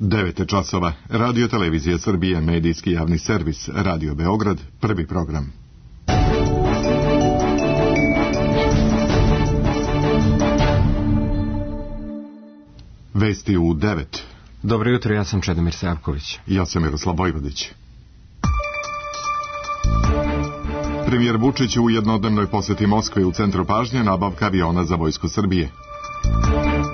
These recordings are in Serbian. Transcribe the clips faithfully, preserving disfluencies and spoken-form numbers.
devet časova. Radio Televizija Srbije, medijski javni servis, Radio Beograd, prvi program. Vesti u devet. Dobro jutro, ja sam Čedomir Savković. Ja sam Miroslav Vojvodić. Premijer Vučić u jednodnevnoj poseti Moskve u centru pažnje nabavka aviona za vojsku Srbije.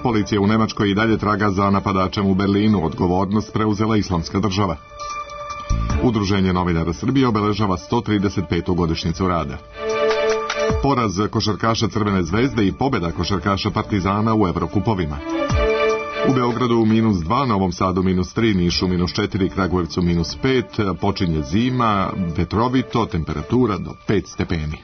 Policija u Nemačkoj i dalje traga za napadačem u Berlinu, odgovornost preuzela Islamska država. Udruženje novinara Srbije obeležava sto trideset petu godišnjicu rada. Poraz košarkaša Crvene zvezde i pobjeda košarkaša Partizana u Evrokupovima. U Beogradu minus dva, Novom Sadu minus tri, Nišu minus četiri, Kragujevcu minus pet, počinje zima, vetrovito, temperatura do pet stepeni.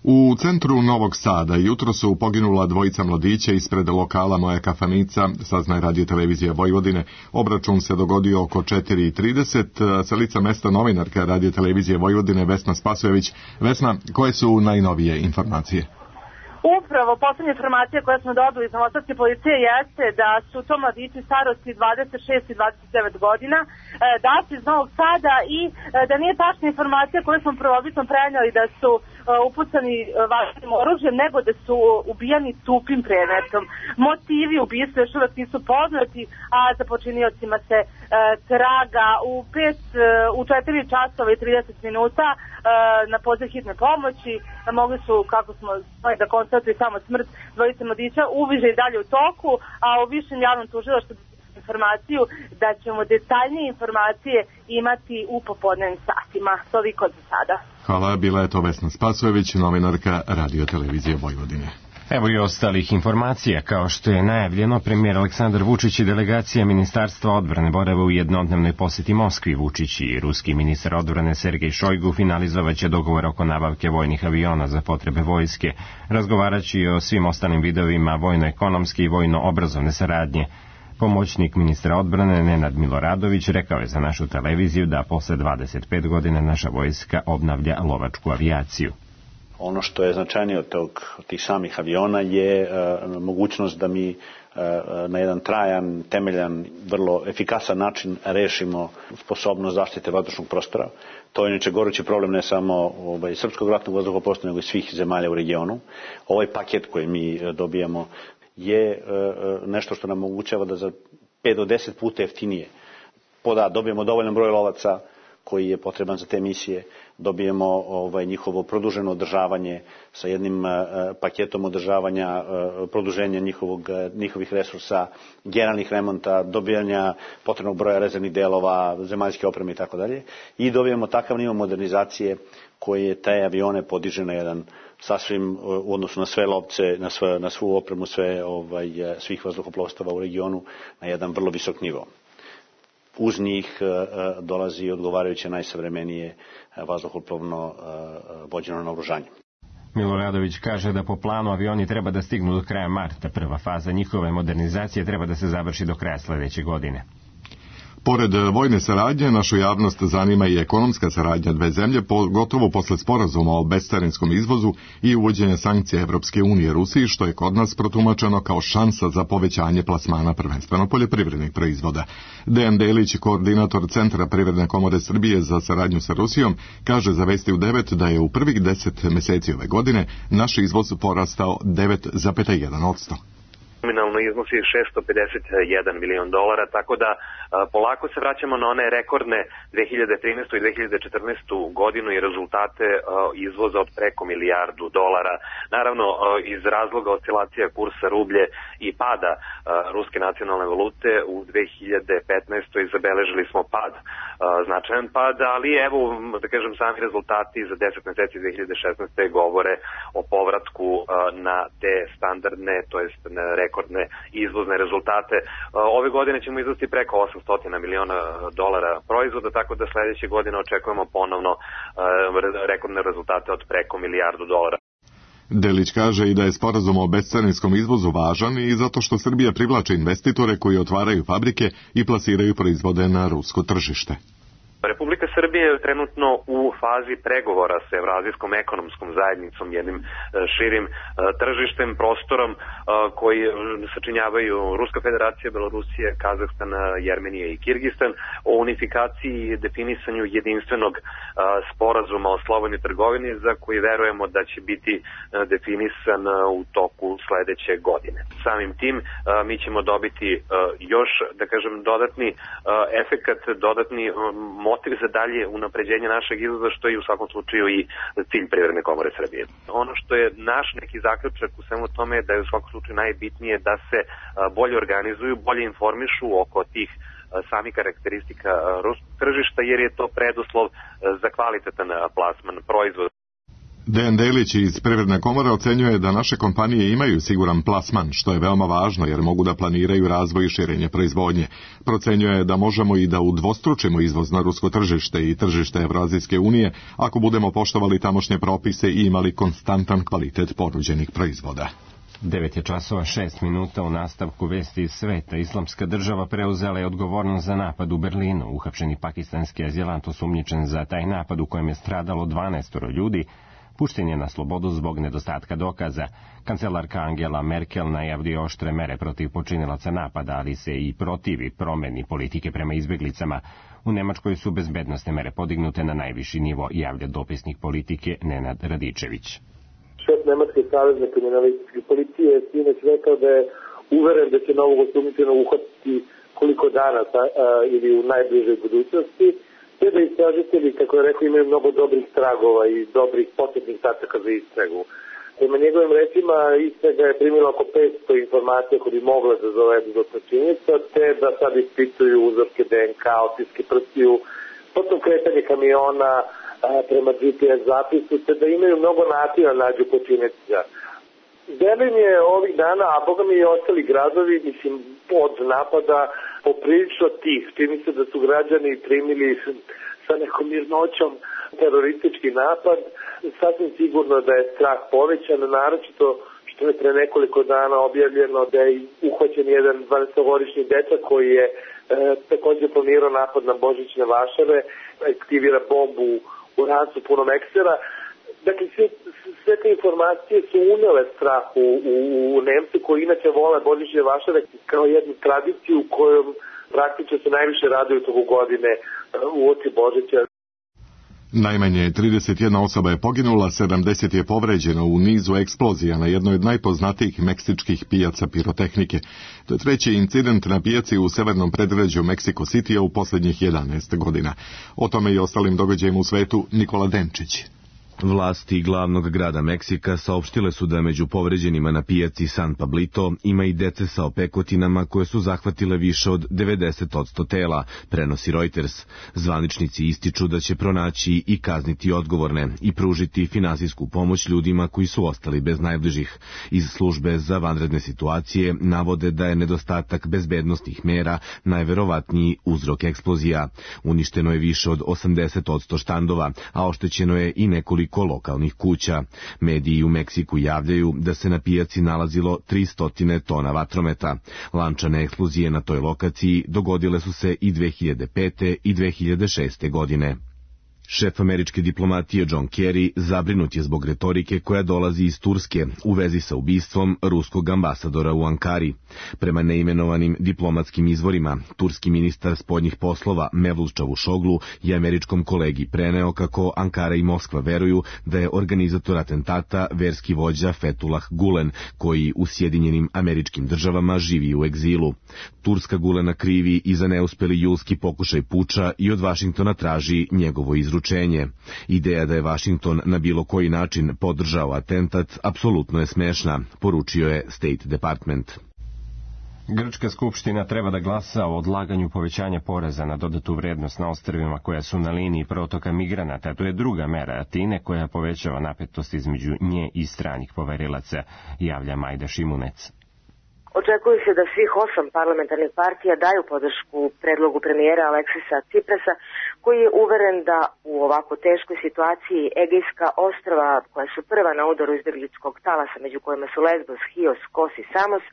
U centru Novog Sada jutro su poginula dvojica mladića ispred lokala Moja kafanica, saznaje Radio Televizija Vojvodine. Obračun se dogodio oko četiri i trideset. Sa lica mesta novinarka Radio Televizije Vojvodine Vesna Spasojević. Vesna, koje su najnovije informacije? Upravo, poslednja informacija koja smo dobili iz novosadske policije jeste da su to mladići starosti dvadeset šest i dvadeset devet godina, da su iz Novog Sada i da nije tačna informacija koju smo prvobitno prenijeli da su upucani vatrenim oružjem, nego da su ubijani tupim predmetom. Motivi ubistva još uvek nisu poznati, a za počiniocima se e, traga u pet, u četiri časova i trideset minuta e, na poziv hitne pomoći. Mogli su, kako smo da konstatuju, samo smrt dvojice mladića. Uviže i dalje u toku, a u višem javnom tužilaštvu informaciju da ćemo detaljnije informacije imati u popodnevnim satima. Toliko za sada. Hvala, bila je to Vesna Spasojević, novinarka Radio Televizije Vojvodine. Evo i ostalih informacija. Kao što je najavljeno, premijer Aleksandar Vučić i delegacija Ministarstva odbrane borave u jednodnevnoj poseti Moskvi. Vučić i ruski ministar odbrane Sergej Šojgu finalizovaće dogovor oko nabavke vojnih aviona za potrebe vojske, razgovaraći o svim ostalim vidovima vojno-ekonomske i vojno-obrazovne saradnje. Pomoćnik ministra odbrane Nenad Miloradović rekao je za našu televiziju da posle dvadeset pet godina naša vojska obnavlja lovačku avijaciju. Ono što je značajnije od, tog, od tih samih aviona je uh, mogućnost da mi uh, na jedan trajan, temeljan, vrlo efikasan način rešimo sposobnost zaštite vazdušnog prostora. To je inače gorući problem ne samo ovaj, srpskog ratnog vazduhoplovstva, nego i svih zemalja u regionu. Ovaj paket koji mi uh, dobijamo je uh, nešto što nam omogućava da za pet do deset puta jeftinije poda, dobijemo dovoljan broj lovaca koji je potreban za te misije, dobijemo ovaj, njihovo produženo održavanje sa jednim uh, paketom održavanja, uh, produženja njihovog, uh, njihovih resursa, generalnih remonta, dobijanja potrebnog broja rezervnih delova, zemaljske opreme i tako dalje. I dobijemo takav nivo modernizacije koje te avione podiže na jedan sasvim u odnosu na sve lovce, na, sve, na svu opremu, sve, ovaj, svih vazduhoplovstava u regionu na jedan vrlo visok nivo. Uz njih uh, dolazi odgovarajuće najsavremenije uh, vazduhoplovno uh, vođeno naoružanje. Miloradović kaže da po planu avioni treba da stignu do kraja marta. Prva faza njihove modernizacije treba da se završi do kraja sledeće godine. Pored vojne saradnje, našu javnost zanima i ekonomska saradnja dve zemlje, pogotovo posle sporazuma o bescarinskom izvozu i uvođenja sankcija Evropske unije Rusiji, što je kod nas protumačeno kao šansa za povećanje plasmana prvenstveno poljoprivrednih proizvoda. Dejan Delić, koordinator Centra Privredne komore Srbije za saradnju sa Rusijom, kaže za Vesti u devet da je u prvih deset meseci ove godine naš izvoz porastao devet zarez jedan posto. Nominalno iznosi šesto pedeset jedan milion dolara, tako da a, polako se vraćamo na one rekordne dve hiljade trinaestu. i dve hiljade četrnaestu. godinu i rezultate a, izvoza od preko milijardu dolara. Naravno, a, iz razloga oscilacija kursa rublje i pada a, ruske nacionalne valute u dve hiljade petnaestoj. zabeležili smo pad, a, značajan pad, ali evo, da kažem, sami rezultati za deset meseci dve hiljade šesnaeste. govore o povratku a, na te standardne, to jest na rekordne izvozne rezultate. Ove godine ćemo izvesti preko osamsto miliona dolara proizvoda, tako da sledeće godine očekujemo ponovno rekordne rezultate od preko milijardu dolara. Delić kaže i da je sporazum o bescarinskom izvozu važan i zato što Srbija privlači investitore koji otvaraju fabrike i plasiraju proizvode na rusko tržište. Republika Srbija je trenutno u fazi pregovora sa Evrazijskom ekonomskom zajednicom, jednim širim tržištem, prostorom koji sačinjavaju Ruska federacija, Belorusija, Kazahstan, Jermenija i Kirgistan, o unifikaciji i definisanju jedinstvenog sporazuma o slobodnoj trgovini za koji verujemo da će biti definisan u toku sledeće godine. Samim tim mi ćemo dobiti još, da kažem, dodatni efekat, dodatni motiv za dalje unapređenje našeg izvoza, što je u svakom slučaju i cilj Privredne komore Srbije. Ono što je naš neki zaključak u svemu tome je da je u svakom slučaju najbitnije da se bolje organizuju, bolje informišu oko tih samih karakteristika ruskog tržišta, jer je to preduslov za kvalitetan plasman proizvoda. Dejan Delić iz Privredne komore ocenjuje da naše kompanije imaju siguran plasman, što je veoma važno jer mogu da planiraju razvoj i širenje proizvodnje. Procenjuje da možemo i da udvostručimo izvoz na rusko tržište i tržište Evrazijske unije ako budemo poštovali tamošnje propise i imali konstantan kvalitet ponuđenih proizvoda. devet je časova šest minuta. U nastavku vesti iz sveta. Islamska država preuzela je odgovornost za napad u Berlinu. Uhapšeni pakistanski azilant osumnjičen za taj napad u kojem je stradalo dvanaest ljudi, pušten je na slobodu zbog nedostatka dokaza. Kancelarka Angela Merkel najavljuje oštre mere protiv počinilaca napada, ali se i protivi promeni politike prema izbeglicama. U Nemačkoj su bezbednosne mere podignute na najviši nivo, javlja dopisnik politike Nenad Radičević. Šef Nemačke savezne kriminalističke policije je sinoć rekao da je uveren da će novog osumnjičenog uhapsiti koliko dana a, ili u najbližoj budućnosti, te da istražitelji, kako je rekao, imaju mnogo dobrih tragova i dobrih početnih tačaka za istragu. Prema njegovim rečima, istraga je primila oko petsto informacija koje bi mogle da zavedu do počinjenica, te da sad ispituju uzorke D N K, otiske prstiju, potom kretanje kamiona a, prema G P S zapisu, te da imaju mnogo načina nađu počinjenica. Berlin je ovih dana, a boga mi i ostali gradovi, mislim, od napada poprilično tih. Čini se da su građani primili sa nekom mirnoćom teroristički napad. Sasvim sigurno da je strah povećan, naročito što je pre nekoliko dana objavljeno da je uhvaćen jedan dvanaestogodišnji dečak koji je e, takođe planirao napad na božićne vašare, aktivira bombu u rancu punom eksera. Dakle, sve, sve te informacije su unele strah u, u, u Nemce koji inače vole božićne vašare kao jednu tradiciju kojom praktično se najviše raduju toku godine u oči Božića. Najmanje trideset jedna osoba je poginula, sedamdeset je povređeno u nizu eksplozija na jednoj od najpoznatijih meksičkih pijaca pirotehnike. To je treći incident na pijaci u severnom predgrađu Meksiko Citya u posljednjih jedanaest godina. O tome i ostalim događajima u svetu Nikola Denčić. Vlasti glavnog grada Meksika saopštile su da među povređenima na pijaci San Pablito ima i dece sa opekotinama koje su zahvatile više od devedeset posto tela, prenosi Reuters. Zvaničnici ističu da će pronaći i kazniti odgovorne i pružiti finansijsku pomoć ljudima koji su ostali bez najbližih. Iz službe za vanredne situacije navode da je nedostatak bezbednosnih mera najverovatniji uzrok eksplozija. Uništeno je više od osamdeset posto štandova, a oštećeno je i nekoliko lokalnih kuća. Mediji u Meksiku javljaju da se na pijaci nalazilo tristo tona vatrometa. Lančane eksplozije na toj lokaciji dogodile su se i dve hiljade pete i dve hiljade šeste godine. Šef američke diplomatije John Kerry zabrinut je zbog retorike koja dolazi iz Turske u vezi sa ubistvom ruskog ambasadora u Ankari. Prema neimenovanim diplomatskim izvorima, turski ministar spoljnih poslova Mevlut Čavuşoglu je američkom kolegi preneo kako Ankara i Moskva veruju da je organizator atentata verski vođa Fethullah Gulen, koji u Sjedinjenim Američkim Državama živi u egzilu. Turska Gulena krivi i za neuspeli julski pokušaj puča i od Vašingtona traži njegovo izručenje. Ideja da je Vašington na bilo koji način podržao atentat apsolutno je smešna, poručio je State Department. Grčka skupština treba da glasa o odlaganju povećanja poreza na dodatu vrednost na ostrvima koja su na liniji protoka migranata. To je druga mera Atine koja povećava napetost između nje i stranih poverilaca, javlja Majda Šimunec. Očekuje se da svih osam parlamentarnih partija daju podršku predlogu premijera Aleksisa Ciprasa, koji je uveren da u ovako teškoj situaciji Egejska ostrva, koja su prva na udaru izbegličkog talasa, među kojima su Lesbos, Hios, Kos i Samos,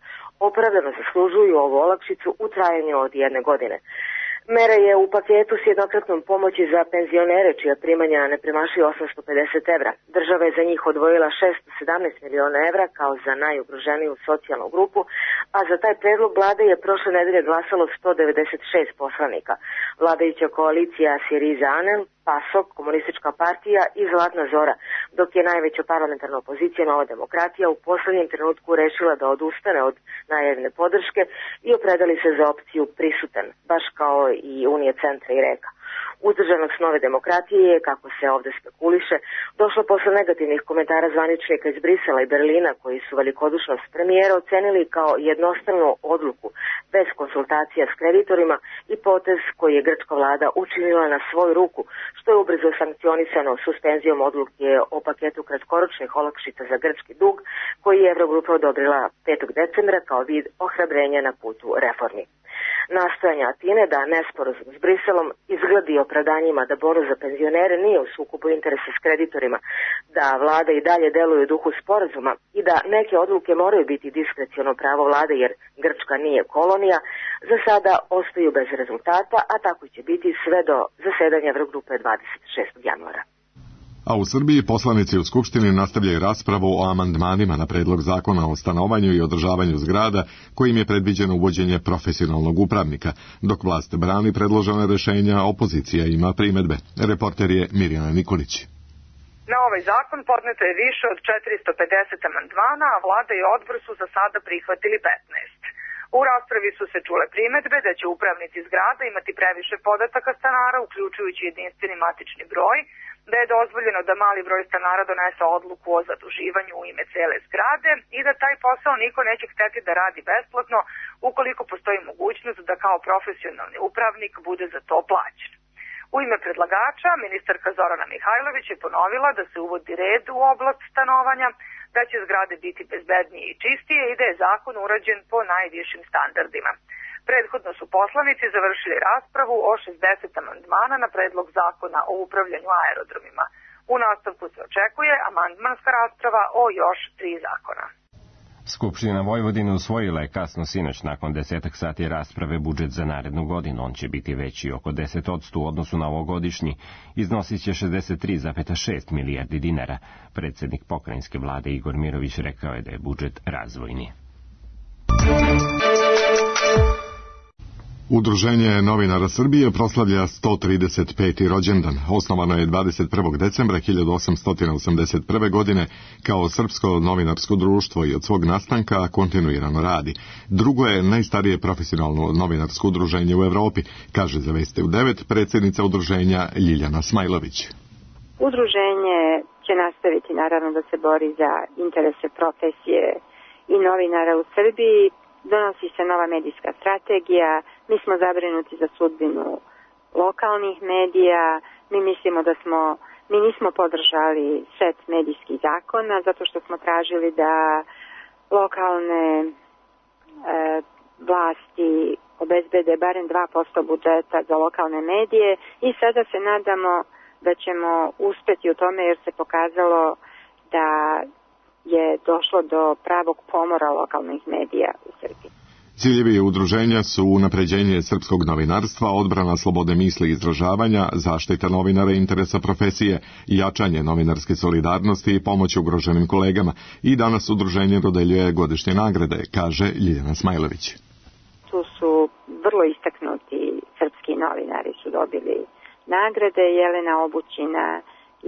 opravdano zaslužuju ovu olakšicu u trajanju od jedne godine. Mera je u paketu s jednokratnom pomoći za penzionere čija primanja ne premašuju osamsto pedeset evra. Država je za njih odvojila šesto sedamnaest miliona evra kao za najugroženiju socijalnu grupu, a za taj predlog vlade je prošle nedelje glasalo sto devedeset šest poslanika. Vladajuća koalicija Syriza Anel, PASOK, Komunistička partija i Zlatna Zora, dok je najveća parlamentarna opozicija Nova demokratija u poslednjem trenutku rešila da odustane od najavljene podrške i opredali se za opciju prisutan, baš kao i Unije centra i Reka. Uzdržanost Nove demokratije je, kako se ovde spekuliše, došlo posle negativnih komentara zvaničnika iz Brisela i Berlina koji su velikodušnost premijera ocenili kao jednostranu odluku bez konsultacija s kreditorima i potez koji je grčka vlada učinila na svoju ruku, što je ubrzo sankcionisano suspenzijom odluke o paketu kratkoročnih olakšica za grčki dug koji je Evrogrupa odobrila petog decembra kao vid ohrabrenja na putu reformi. Nastojanja Atine da nesporazum s Briselom izgledi opravdanjima da bonus za penzionere nije u sukobu interesa s kreditorima, da vlada i dalje deluje u duhu sporazuma i da neke odluke moraju biti diskreciono pravo vlade jer Grčka nije kolonija, za sada ostaju bez rezultata, a tako će biti sve do zasedanja Evrogrupe dvadeset šestog januara. A u Srbiji poslanici u Skupštini nastavljaju raspravu o amandmanima na predlog zakona o stanovanju i održavanju zgrada kojim je predviđeno uvođenje profesionalnog upravnika. Dok vlast brani predložena rešenja, opozicija ima primedbe. Reporter je Mirjana Nikolić. Na ovaj zakon podneto je više od četiristo pedeset amandmana, a vlada i odbor su za sada prihvatili petnaest. U raspravi su se čule primedbe da će upravnici zgrada imati previše podataka stanara, uključujući jedinstveni matični broj, da je dozvoljeno da mali broj stanara donese odluku o zaduživanju u ime cele zgrade i da taj posao niko neće hteti da radi besplatno ukoliko postoji mogućnost da kao profesionalni upravnik bude za to plaćen. U ime predlagača, ministarka Zorana Mihajlović je ponovila da se uvodi red u oblast stanovanja, da će zgrade biti bezbednije i čistije i da je zakon urađen po najvišim standardima. Prethodno su poslanici završili raspravu o šezdeset amandmana na predlog zakona o upravljanju aerodromima. U nastavku se očekuje amandmanska rasprava o još tri zakona. Skupština Vojvodine usvojila je kasno sinoć nakon desetak sati rasprave budžet za narednu godinu. On će biti veći oko deset posto u odnosu na ovogodišnji. Iznosit će šezdeset tri zarez šest milijardi dinara. Predsednik pokrajinske vlade Igor Mirović rekao je da je budžet razvojni. Udruženje novinara Srbije proslavlja sto trideset peti rođendan. Osnovano je dvadeset prvog decembra hiljadu osamsto osamdeset prve. godine kao srpsko novinarsko društvo i od svog nastanka kontinuirano radi. Drugo je najstarije profesionalno novinarsko udruženje u Evropi, kaže za Vesti u devet predsjednica udruženja Ljiljana Smajlović. Udruženje će nastaviti naravno da se bori za interese profesije i novinara u Srbiji. Donosi se nova medijska strategija, mi smo zabrinuti za sudbinu lokalnih medija, mi mislimo da smo, mi nismo podržali set medijskih zakona zato što smo tražili da lokalne e, vlasti obezbede barem dva posto budžeta za lokalne medije i sada se nadamo da ćemo uspeti u tome jer se pokazalo da je došlo do pravog pomora lokalnih medija u Srbiji. Ciljevi udruženja su unapređenje srpskog novinarstva, odbrana slobode misli i izražavanja, zaštita novinara i interesa profesije, jačanje novinarske solidarnosti i pomoć ugroženim kolegama. I danas udruženje dodeljuje godišnje nagrade, kaže Ljiljana Smajlović. Tu su vrlo istaknuti srpski novinari su dobili nagrade. Jelena Obućina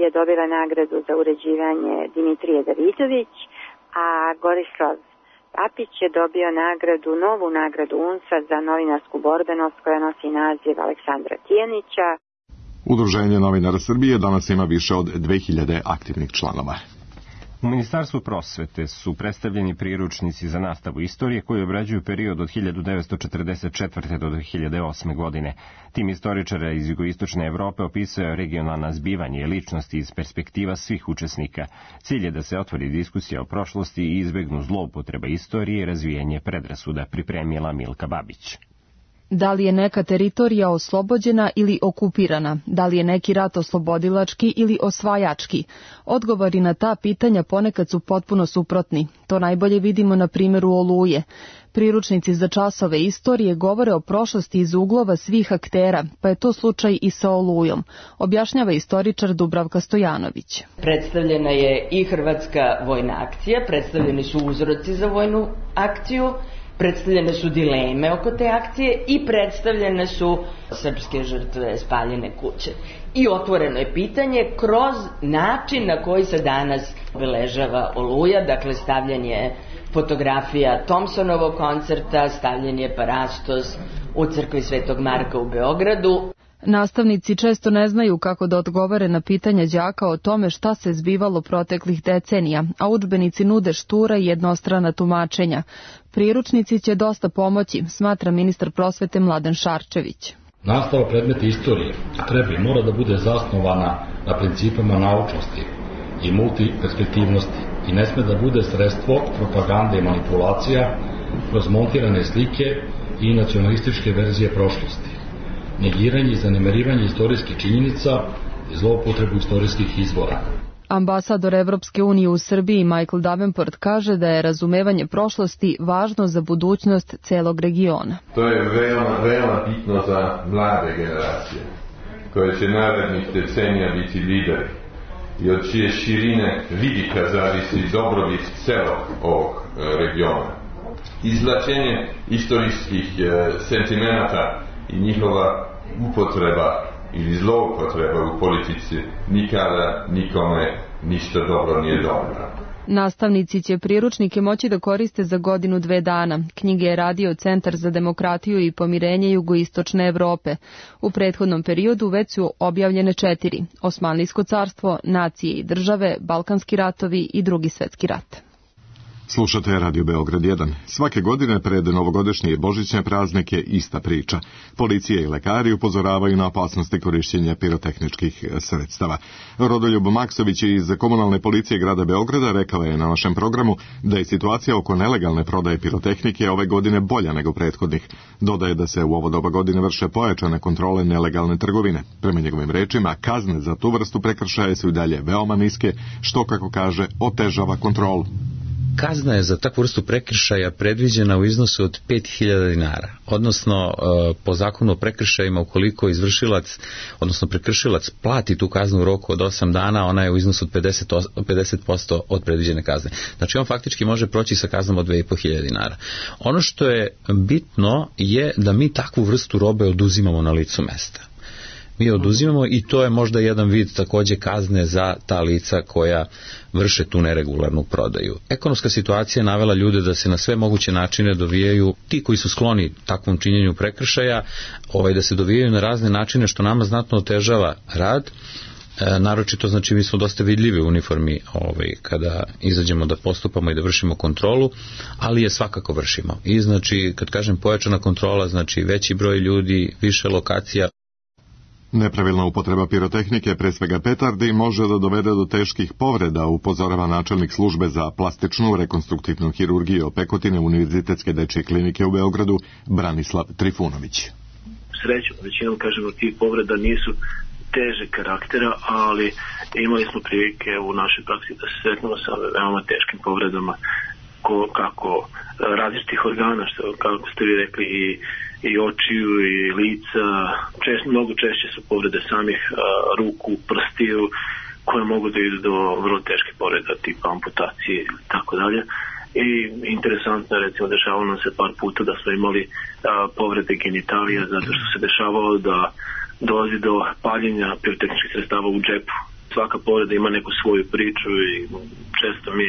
je dobila nagradu za uređivanje Dimitrije Davidović, a Gorislav Papić je dobio nagradu, novu nagradu U N S A za novinarsku borbenost koja nosi naziv Aleksandra Tijanića. Udruženje novinara Srbije danas ima više od dve hiljade aktivnih članova. U Ministarstvu prosvete su predstavljeni priručnici za nastavu istorije koji obrađuju period od hiljadu devetsto četrdeset četvrte do dve hiljade osme. godine. Tim istoričara iz jugoistočne Evrope opisuje regionalna zbivanja i ličnosti iz perspektiva svih učesnika. Cilj je da se otvori diskusija o prošlosti i izbegnu zloupotreba istorije i razvijanje predrasuda, pripremila Milka Babić. Da li je neka teritorija oslobođena ili okupirana? Da li je neki rat oslobodilački ili osvajački? Odgovori na ta pitanja ponekad su potpuno suprotni. To najbolje vidimo na primjeru Oluje. Priručnici za časove istorije govore o prošlosti iz uglova svih aktera, pa je to slučaj i sa Olujom, objašnjava istoričar Dubravka Stojanović. Predstavljena je i hrvatska vojna akcija, predstavljeni su uzroci za vojnu akciju, predstavljene su dileme oko te akcije i predstavljene su srpske žrtve, spaljene kuće. I otvoreno je pitanje kroz način na koji se danas obeležava Oluja, dakle stavljanje fotografija Thompsonovog koncerta, stavljanje parastos u crkvi Svetog Marka u Beogradu. Nastavnici često ne znaju kako da odgovore na pitanja đaka o tome šta se zbivalo proteklih decenija, a udžbenici nude štura i jednostrana tumačenja. Priručnici će dosta pomoći, smatra ministar prosvete Mladen Šarčević. Nastava predmeta istorije treba i mora da bude zasnovana na principima naučnosti i multiperspektivnosti i ne sme da bude sredstvo propagande i manipulacija kroz montirane slike i nacionalističke verzije prošlosti, negiranje i zanemarivanje istorijskih činjenica i zloupotrebu istorijskih izvora. Ambasador Evropske unije u Srbiji Michael Davenport kaže da je razumevanje prošlosti važno za budućnost celog regiona. To je veoma, veoma bitno za mlade generacije, koje će narednih decenija biti lideri i od čije širine vidika zavisi dobrobit celog ovog regiona. Izvlačenje istorijskih sentimenata i njihova upotreba ili zloupotreba u politici nikada nikome ništa dobro nije dobro. Nastavnici će priručnike moći da koriste za godinu dve dana. Knjige je radio Centar za demokratiju i pomirenje Jugoistočne Evrope. U prethodnom periodu već su objavljene četiri: Osmanlijsko carstvo, Nacije i države, Balkanski ratovi i Drugi svetski rat. Slušate Radio Beograd jedan. Svake godine pred novogodišnje i božićne praznike ista priča. Policija i lekari upozoravaju na opasnosti korišćenja pirotehničkih sredstava. Rodoljub Maksović iz komunalne policije grada Beograda rekao je na našem programu da je situacija oko nelegalne prodaje pirotehnike ove godine bolja nego prethodnih. Dodaje da se u ovo doba godine vrše pojačane kontrole nelegalne trgovine. Prema njegovim rečima, kazne za tu vrstu prekršaja su i dalje veoma niske, što, kako kaže, otežava kontrolu. Kazna je za takvu vrstu prekršaja predviđena u iznosu od pet hiljada dinara, odnosno po zakonu o prekršajima ukoliko izvršilac, odnosno prekršilac plati tu kaznu u roku od osam dana, ona je u iznosu od pedeset posto od predviđene kazne. Znači on faktički može proći sa kaznom od dve i po hiljade dinara. Ono što je bitno je da mi takvu vrstu robe oduzimamo na licu mesta. Mi oduzimamo i to je možda jedan vid takođe kazne za ta lica koja vrše tu neregularnu prodaju. Ekonomska situacija navela ljude da se na sve moguće načine dovijaju, ti koji su skloni takvom činjenju prekršaja, ovaj, da se dovijaju na razne načine što nama znatno otežava rad. E, naročito, znači, mi smo dosta vidljivi u uniformi ovaj, kada izađemo da postupamo i da vršimo kontrolu, ali je svakako vršimo. I znači, kad kažem pojačana kontrola, znači veći broj ljudi, više lokacija. Nepravilna upotreba pirotehnike, pre svega petardi, može da dovede do teških povreda, upozorava načelnik službe za plastičnu rekonstruktivnu hirurgiju Opekotine Univerzitetske dečje klinike u Beogradu, Branislav Trifunović. Srećom, većinom, kažemo, tih povreda nisu teže karaktera, ali imali smo prilike u našoj praksi da se sretnemo sa veoma teškim povredama ko, kako različitih organa, što, kako ste vi rekli, i i očiju i lica, čest, mnogo češće su povrede samih a, ruku, prstiju, koje mogu da idu do vrlo teške povreda tipa amputacije i tako dalje. I interesantno je, recimo, dešavalo nam se par puta da smo imali a, povrede genitalija, zato što se dešavalo da dolazi do paljenja pirotehničkih sredstava u džepu. Svaka povreda ima neku svoju priču i često mi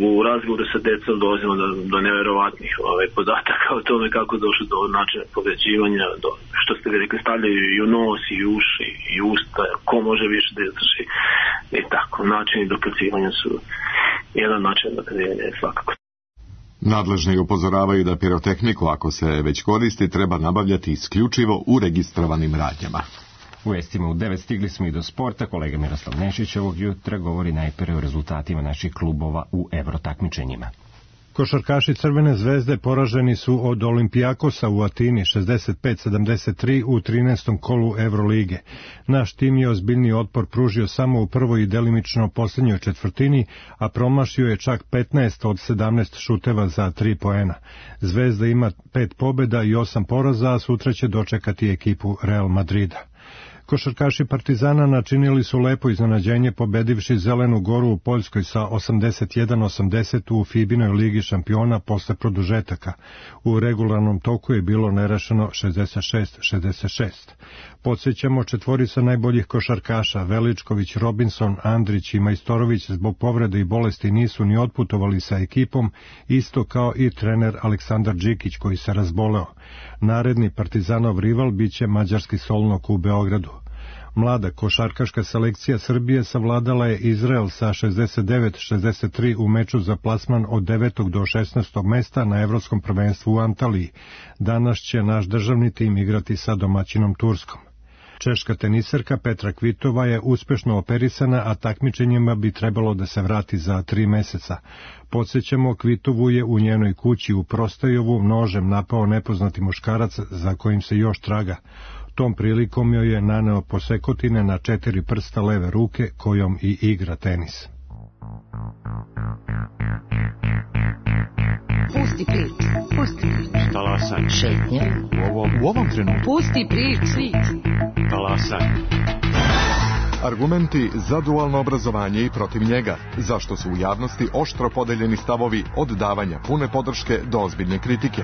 u razgovoru sa decom dolazimo do, do neverovatnih ovaj, podataka o tome kako došlo do načina povređivanja, do, što ste vi rekli, stavljaju i u nos, i uši, i usta, ko može više da izdrži i tako. Načini dokazivanja su jedan način dokazivanja je svakako. Nadležni upozoravaju da pirotehniku, ako se već koristi, treba nabavljati isključivo u registrovanim radnjama. U vestima u devet stigli smo i do sporta. Kolega Miroslav Nešić ovog jutra govori najpre o rezultatima naših klubova u evrotakmičenjima. Košarkaši Crvene zvezde poraženi su od Olimpijakosa u Atini šezdeset pet sedamdeset tri u trinaestom kolu Evrolige. Naš tim je ozbiljni otpor pružio samo u prvoj i delimično posljednjoj četvrtini, a promašio je čak petnaest od sedamnaest šuteva za tri poena. Zvezda ima pet pobjeda i osam poraza, a sutra će dočekati ekipu Real Madrida. Košarkaši Partizana načinili su lepo iznenađenje pobedivši Zelenu Goru u Poljskoj sa osamdeset jedan osamdeset u Fibinoj ligi šampiona posle produžetaka. U regularnom toku je bilo nerešeno šezdeset šest šezdeset šest. Podsjećamo, četvorica najboljih košarkaša Veličković, Robinson, Andrić i Majstorović zbog povrede i bolesti nisu ni otputovali sa ekipom, isto kao i trener Aleksandar Džikić koji se razboleo. Naredni Partizanov rival biće mađarski Solnok u Beogradu. Mlada košarkaška selekcija Srbije savladala je Izrael sa šezdeset devet šezdeset tri u meču za plasman od devetog do šesnaestog mesta na Evropskom prvenstvu u Antaliji. Danas će naš državni tim igrati sa domaćinom Turskom. Češka teniserka Petra Kvitova je uspešno operisana, a takmičenjima bi trebalo da se vrati za tri meseca. Podsjećamo, Kvitovu je u njenoj kući u Prostajovu nožem napao nepoznati muškarac za kojim se još traga. Tom prilikom joj je naneo posekotine na četiri prsta leve ruke kojom i igra tenis. Pusti priču, pusti priču. Talasaj. Šetnja. U ovom, u ovom trenutku. Pusti priču. Talasaj. Argumenti za dualno obrazovanje i protiv njega. Zašto su u javnosti oštro podeljeni stavovi od davanja pune podrške do ozbiljne kritike.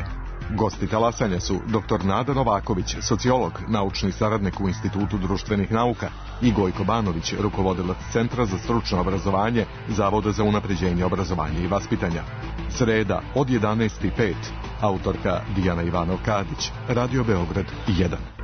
Gosti talasanja su doktor Nada Novaković, sociolog, naučni saradnik u Institutu društvenih nauka, i Gojko Banović, rukovodilac Centra za stručno obrazovanje Zavoda za unapređenje obrazovanja i vaspitanja. Sreda od jedanaest i pet. Autorka Dijana Ivanov-Kadić, Radio Beograd jedan.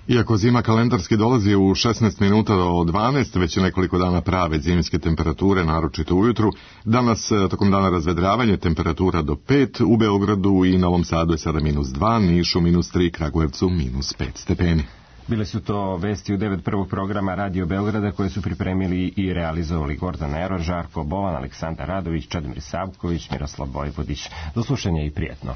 Iako zima kalendarski dolazi u šesnaest minuta do dvanaest, već je nekoliko dana prave zimske temperature, naročito ujutru. Danas, tokom dana razvedravanje, temperatura do pet, u Beogradu i Novom Sadu je sada minus dva, Nišu minus tri, Kragujevcu minus pet stepeni. Bile su to vesti u devet prvog programa Radio Beograda koje su pripremili i realizovali Gordana Eror, Žarko Bovan, Aleksandar Radović, Čedomir Savković, Miroslav Vojvodić. Do slušanja i prijetno.